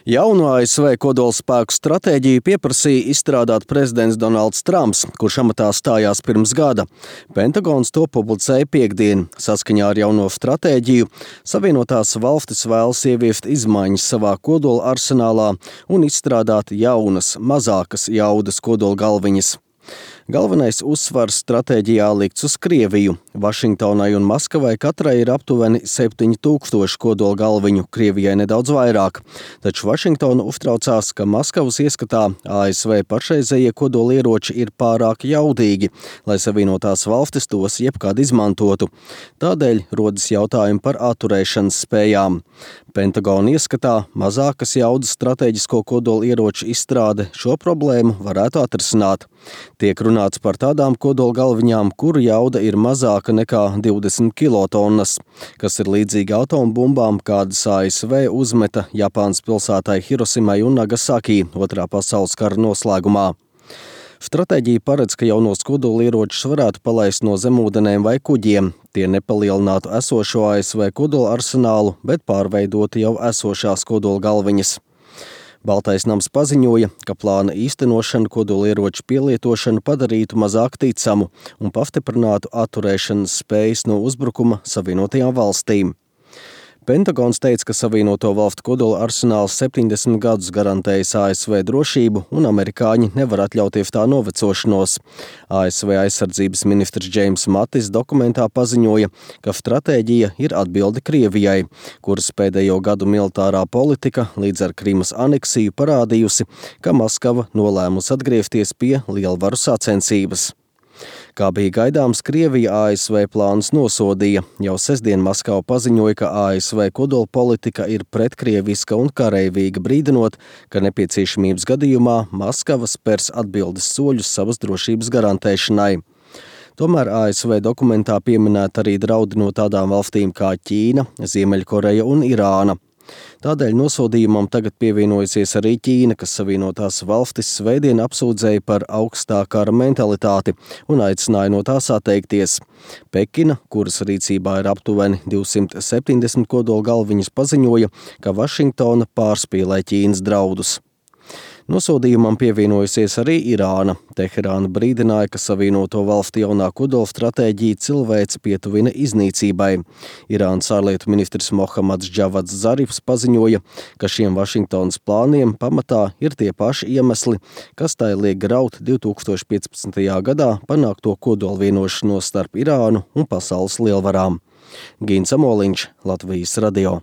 Jaunu ASV kodolspēku stratēģiju pieprasīja izstrādāt prezidents Donalds Trumps, kurš amatā stājās pirms gada. Pentagons to publicēja piektdien. Saskaņā ar jauno stratēģiju Savienotās valstis vēlas ieviest izmaiņas savā kodola arsenālā un izstrādāt jaunas, mazākas jaudas kodolgalviņas. Galvenais uzsvars stratēģijā likts uz Krieviju. Vašingtonai un Maskavai katrai ir aptuveni 7000 kodola galviņu, Krievijai nedaudz vairāk. Taču Vašingtona uztraucās, ka Maskavas ieskatā ASV pašreizējie kodolieroči ir pārāk jaudīgi, lai Savienotās valstis tos jebkad izmantotu. Tādēļ rodas jautājumi par atturēšanas spējām. Pentagona ieskatā mazākas jaudas strateģisko kodolieroču izstrāde šo problēmu varētu atrisināt. Tiek runāts par tādām kodolgalviņām, kuru jauda ir mazāka nekā 20 kilotonnas, kas ir līdzīgi atombumbām, kādas ASV uzmeta Japānas pilsētai Hirosimai un Nagasaki Otrā pasaules kara noslēgumā. Stratēģija paredz, ka jaunos kodolieročus varētu palaist no zemūdenēm vai kuģiem. Tie nepalielinātu esošo ASV kodola arsenālu, bet pārveidotu jau esošās kodolgalviņas. Baltais nams paziņoja, ka plāna īstenošana kodolieroču pielietošanu padarītu mazāk ticamu un pastiprinātu atturēšanas spējas no uzbrukuma Savienotajām valstīm. Pentagons teica, ka Savienoto valstu kodola arsenāls 70 gadus garantējis ASV drošību un amerikāņi nevar atļauties tā novecošanos. ASV aizsardzības ministrs Džeims Matis dokumentā paziņoja, ka stratēģija ir atbilde Krievijai, kuras pēdējo gadu militārā politika līdz ar Krimas aneksiju parādījusi, ka Maskava nolēmusi atgriezties pie lielvaru sacensības. Kā bija gaidāms, Krievija ASV plānus nosodīja. Jau sestdien Maskava paziņoja, ka ASV kodola politika ir pretkrieviska un kareivīga, brīdinot, ka nepieciešamības gadījumā Maskava spers atbildes soļus savas drošības garantēšanai. Tomēr ASV dokumentā pieminēta arī draudi no tādām valstīm kā Ķīna, Ziemeļkoreja un Irāna. Tādēļ nosodījumam tagad pievienojusies arī Ķīna, kas Savienotās valstis svētdien apsūdzēja par augstā kara mentalitāti un aicināja no tās atteikties. Pekina, kuras rīcībā ir aptuveni 270 kodola galviņas, paziņoja, ka Vašingtona pārspīlē Ķīnas draudus. Nosodījumam pievienojusies arī Irāna. Teherāna brīdināja, ka Savienoto valstu jaunā kodola stratēģija cilvēci pietuvina iznīcībai. Irānas ārlietu ministrs Mohammads Džavads Zarifs paziņoja, ka šiem Vašingtonas plāniem pamatā ir tie paši iemesli, kas tai liek graut 2015. gadā panākto kodola vienošanos starp Irānu un pasaules lielvarām. Gīns Amoliņš, Latvijas radio.